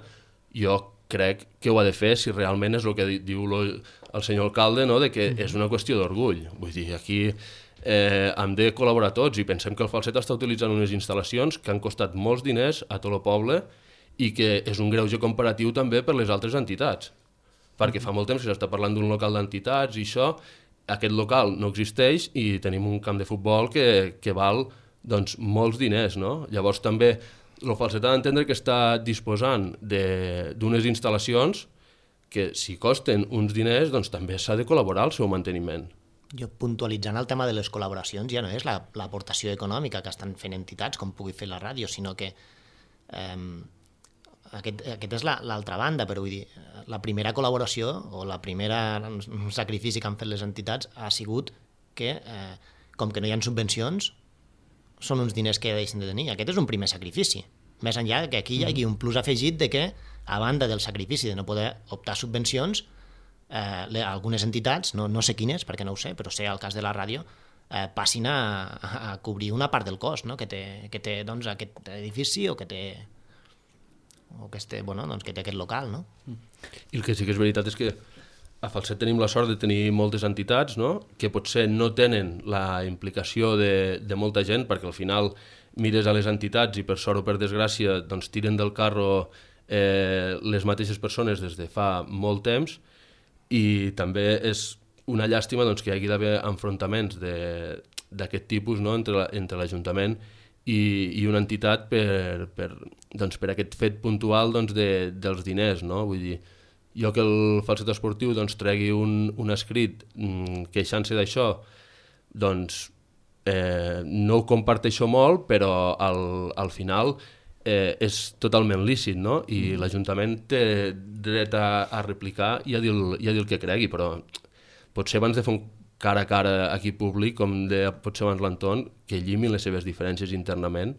jo crec que ho ha de fer si realment és el que diu el senyor alcalde, no? De que és una qüestió d'orgull. Vull dir, aquí hem de col·laborar tots, i pensem que el Falset està utilitzant unes instal·lacions que han costat molts diners a tot el poble i que és un greuge comparatiu també per les altres entitats. Perquè fa molt temps que s'està parlant d'un local d'entitats i això, aquest local no existeix i tenim un camp de futbol que val doncs, molts diners, no? Llavors també el Falset ha d'entendre que està disposant d'unes instal·lacions que si costen uns diners, doncs també s'ha de col·laborar al seu manteniment. Jo puntualitzant el tema de les col·laboracions ja no és l'aportació econòmica que estan fent entitats com pugui fer la ràdio, sinó que aquest és l'altra banda, però vull dir, la primera col·laboració o la primera sacrifici que han fet les entitats ha sigut que, com que no hi ha subvencions, són uns diners que deixen de tenir. Aquest és un primer sacrifici. Més enllà que aquí hi hagi un plus afegit de que, a banda del sacrifici de no poder optar a subvencions, algunes entitats, no sé quines, perquè no ho sé, però sé el cas de la ràdio, passin a cobrir una part del cost, no? que té doncs, aquest edifici o que té aquest local. No? I el que sí que és veritat és que a Falset tenim la sort de tenir moltes entitats, no? Que potser no tenen la implicació de molta gent, perquè al final mires a les entitats i per sort o per desgràcia doncs, tiren del carro les mateixes persones des de fa molt temps, i també és una llàstima doncs, que hi hagi d'haver enfrontaments d'aquest tipus, no? entre l'Ajuntament i una entitat per aquest fet puntual doncs, dels diners. No? Vull dir, jo que el Falset Esportiu doncs, tregui un escrit queixant-se d'això, doncs no ho comparteixo molt, però al final és totalment lícit, no? I l'Ajuntament té dret a replicar i a dir el que cregui, però potser abans de fer un cara a cara aquí públic, com deia potser abans l'Anton, que llimin les seves diferències internament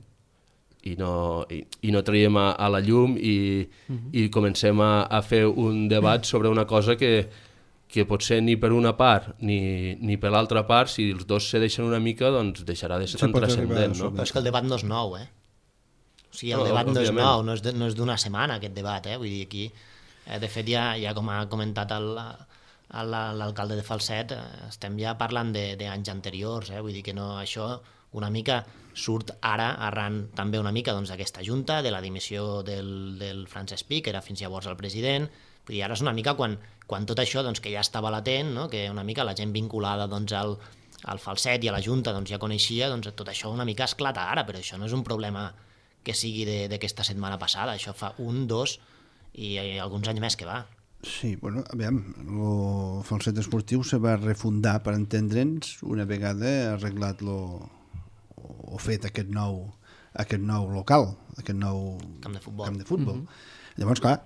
i no traiem a la llum i comencem a fer un debat sobre una cosa que potser ni per una part ni per l'altra part, si els dos se deixen una mica, doncs deixarà de ser tan transcendent. No? Però és que el debat no és nou, O sigui, el debat no és nou, no és d'una setmana aquest debat, Vull dir, aquí, de fet, ja com ha comentat l'alcalde de Falset, estem ja parlant d'anys anteriors, Vull dir que no, això una mica surt ara arran també una mica d'aquesta junta, de la dimissió del Francesc Pi, que era fins llavors el president. Vull dir, ara és una mica quan tot això que ja estava latent, que una mica la gent vinculada al Falset i a la junta ja coneixia, tot això una mica esclata ara, però això no és un problema que sigui d'aquesta setmana passada, això fa 1, 2 i alguns anys més que va. Sí, bueno, aviam, el Falset Esportiu se va refundar, per entendre'ns, una vegada arreglat o fet aquest nou local, aquest nou camp de futbol. Llavors, clar,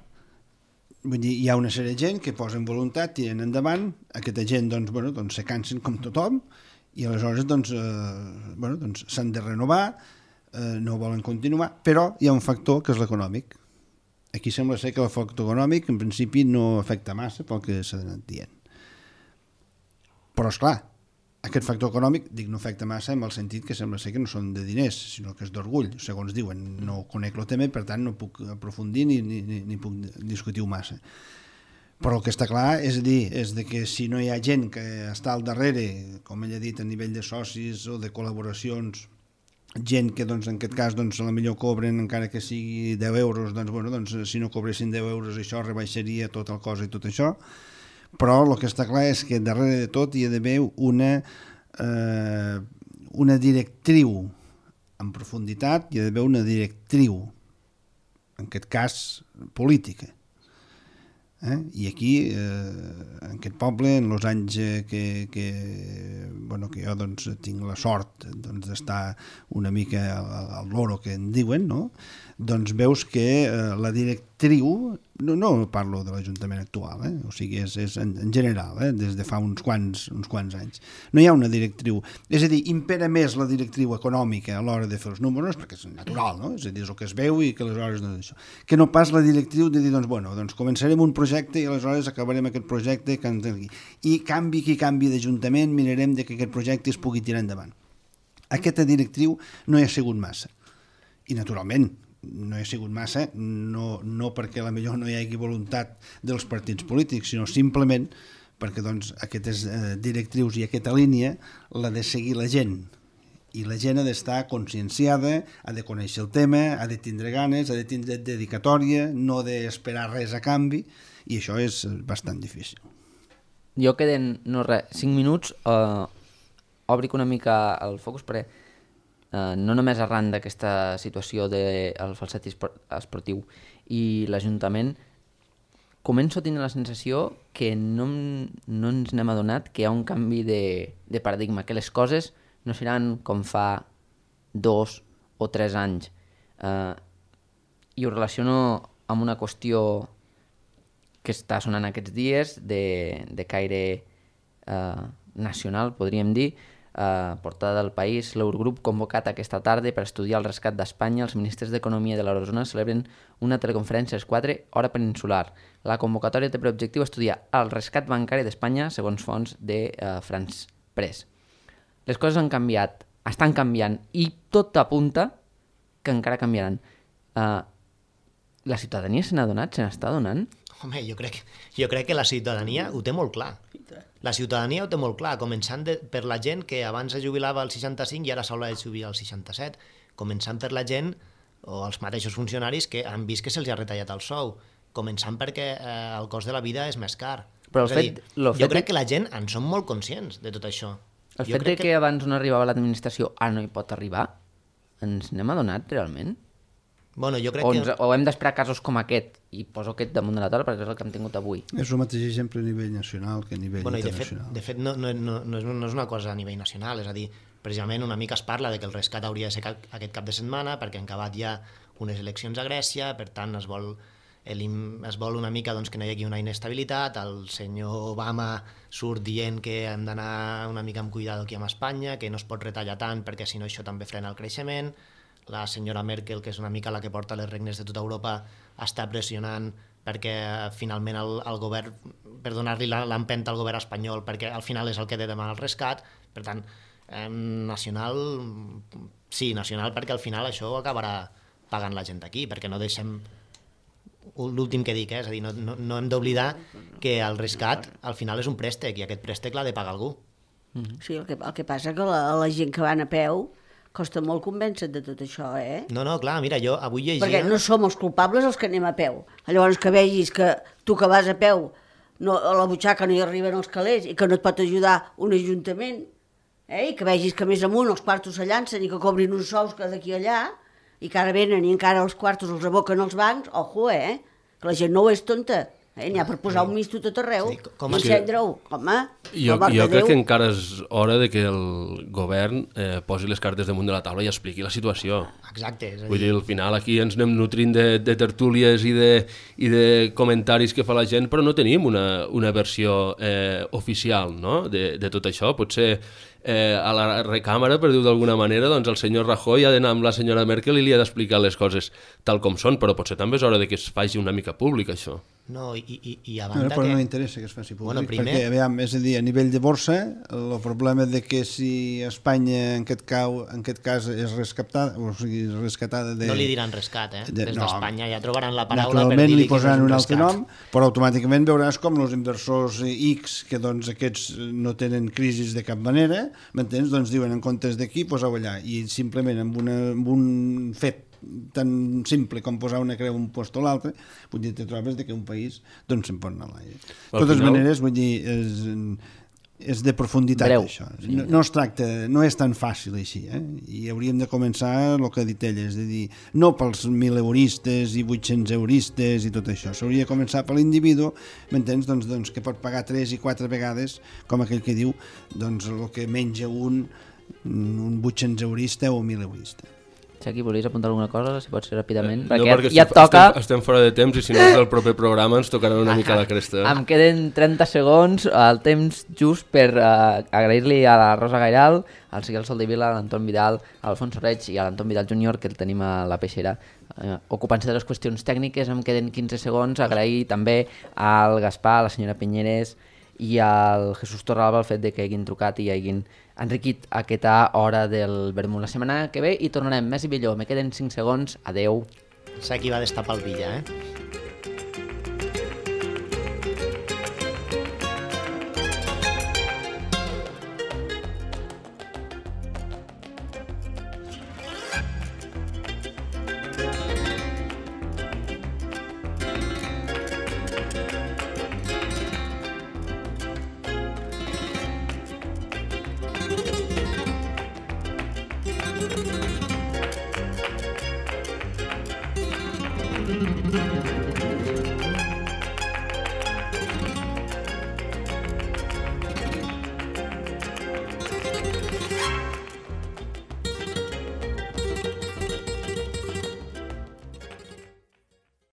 vull dir, hi ha una sèrie de gent que posen voluntat, tiren endavant, aquesta gent doncs se cansen com tothom i aleshores s'han de renovar, no volen continuar, però hi ha un factor que és l'econòmic. Aquí sembla ser que el factor econòmic en principi no afecta massa pel que s'ha anat dient. Però esclar, aquest factor econòmic, no afecta massa en el sentit que sembla ser que no són de diners, sinó que és d'orgull, segons diuen. No conec el tema i per tant no puc aprofundir ni puc discutir-ho massa. Però el que està clar és que si no hi ha gent que està al darrere, com ell ha dit, a nivell de socis o de col·laboracions, gent que en aquest cas a la millor cobren encara que sigui 10 euros, si no cobressin 10 euros això rebaixaria tot el cost i tot això, però el que està clar és que darrere de tot hi ha d'haver una directriu en profunditat, hi ha d'haver una directriu, en aquest cas política. I aquí, en aquest poble, en els anys que jo tinc la sort d'estar una mica al loro que en diuen, doncs veus que la directriu, no parlo de l'Ajuntament actual, o sigui, és en general, des de fa uns quants anys, no hi ha una directriu, és a dir, impera més la directriu econòmica a l'hora de fer els números, perquè és natural, no? És a dir, és el que es veu i que aleshores no és això, que no pas la directriu de dir, doncs començarem un projecte i aleshores acabarem aquest projecte i canvi qui canvi d'Ajuntament mirarem que aquest projecte es pugui tirar endavant. Aquesta directriu no hi ha sigut massa, i naturalment no hi ha sigut massa, no perquè potser no hi hagi voluntat dels partits polítics, sinó simplement perquè aquestes directrius i aquesta línia l'ha de seguir la gent, i la gent ha d'estar conscienciada, ha de conèixer el tema, ha de tindre ganes, ha de tindre dedicatòria, no d'esperar res a canvi, i això és bastant difícil. Jo queden 5 minuts, obric una mica el focus perquè no només arran d'aquesta situació del falset esportiu i l'Ajuntament, començo a tenir la sensació que no ens n'hem adonat que hi ha un canvi de paradigma, que les coses no seran com fa 2 o 3 anys. I ho relaciono amb una qüestió que està sonant aquests dies de caire nacional, podríem dir. Portada del País, l'Eurogrup convocat aquesta tarda per estudiar el rescat d'Espanya. Els ministres d'Economia de l'Eurozona celebren una teleconferència a les 4, hora peninsular. La convocatòria té per objectiu estudiar el rescat bancari d'Espanya segons fonts de France Press. Les coses han canviat, estan canviant i tot apunta que encara canviaran. La ciutadania se n'ha adonat, se n'està adonant? Home, jo crec que la ciutadania ho té molt clar. La ciutadania ho té molt clar, començant per la gent que abans es jubilava als 65 i ara s'haurà de jubilar als 67, començant per la gent o els mateixos funcionaris que han vist que se'ls ha retallat el sou, començant perquè el cost de la vida és més car. Però jo crec que la gent en som molt conscients de tot això. El fet que abans no arribava l'administració ara no hi pot arribar, ens n'hem adonat realment? Bueno, jo crec que... O hem d'esperar casos com aquest, i poso aquest damunt de la taula perquè és el que hem tingut avui. És el mateix exemple a nivell nacional que a nivell internacional. De fet no és una cosa a nivell nacional, és a dir, precisament una mica es parla de que el rescat hauria de ser aquest cap de setmana perquè han acabat ja unes eleccions a Grècia, per tant es vol una mica doncs, que no hi hagi una inestabilitat, el senyor Obama surt dient que hem d'anar una mica amb cuidado aquí amb Espanya, que no es pot retallar tant perquè si no això també frena el creixement. La senyora Merkel, que és una mica la que porta les regnes de tota Europa, està pressionant perquè finalment el govern, per donar-li l'empenta al govern espanyol, perquè al final és el que té de demanar el rescat. Per tant, nacional, sí, nacional, perquè al final això ho acabarà pagant la gent d'aquí, perquè no deixem... L'últim que dic, és a dir, no hem d'oblidar que el rescat al final és un préstec i aquest préstec l'ha de pagar algú. Sí, el que passa que la gent que van a peu costa molt convèncer de tot això, No, clar, mira, jo avui llegia... Perquè no som els culpables els que anem a peu. Llavors que vegis que tu que vas a peu a la butxaca no hi arriben els calés i que no et pot ajudar un ajuntament, i que vegis que més amunt els quartos se llancen i que cobrin uns sous que d'aquí a allà i que ara venen i encara els quartos els aboquen als bancs, ojo, que la gent no ho és tonta. N'hi ha per posar un misto tot arreu i encendre-ho, home. Jo crec que encara és hora de que el govern posi les cartes damunt de la taula i expliqui la situació. Exacte. Vull dir, al final aquí ens anem nutrint de tertúlies i de comentaris que fa la gent, però no tenim una versió oficial, no? de tot això. Potser a la recàmera, per dir-ho d'alguna manera, doncs el senyor Rajoy ha d'anar amb la senyora Merkel i li ha d'explicar les coses tal com són, però potser també és hora de que es faci una mica públic, això. No, i a banda però no interessa que es faci públic, perquè, aviam, és a dir, a nivell de borsa, el problema de que si Espanya en aquest cas és rescatada, o sigui, rescatada de... No li diran rescat, des d'Espanya ja trobaran la paraula per dir-li que és un altre nom, però automàticament veuràs com els inversors X, que doncs aquests no tenen crisis de cap manera, m'entens? Doncs diuen en comptes d'aquí, poseu allà, i simplement amb un fet tan simple com posar una creu un post o l'altre, vull dir, te trobes que un país doncs se'n pot anar a l'aire. De totes maneres, vull dir, és de profunditat això. No es tracta, no és tan fàcil així, i hauríem de començar el que ha dit ella, és a dir, no pels 1.000 euristes i 800 euristes i tot això, s'hauria de començar per l'individu, m'entens? Doncs que pot pagar 3 i 4 vegades, com aquell que diu, doncs el que menja un 800 eurista o 1.000 eurista. Xaqui, volies apuntar alguna cosa, si pot ser ràpidament? Perquè ja et toca... Estem fora de temps i si no és del proper programa ens tocarà una mica la cresta. Em queden 30 segons, el temps just per agrair-li a la Rosa Gairal, al Siguel Soldevila, a l'Anton Vidal, a l'Alfons Reig i a l'Anton Vidal Júnior, que el tenim a la peixera, ocupant-se de les qüestions tècniques. Em queden 15 segons. Agrair també al Gaspar, a la senyora Pinyeres i al Jesús Torralba el fet de que hagin trucat i hagin enriquit aquesta hora del vermut. La setmana que ve hi tornarem més i millor. Me queden 5 segons. Adeu. Sé qui va destapar el Villa,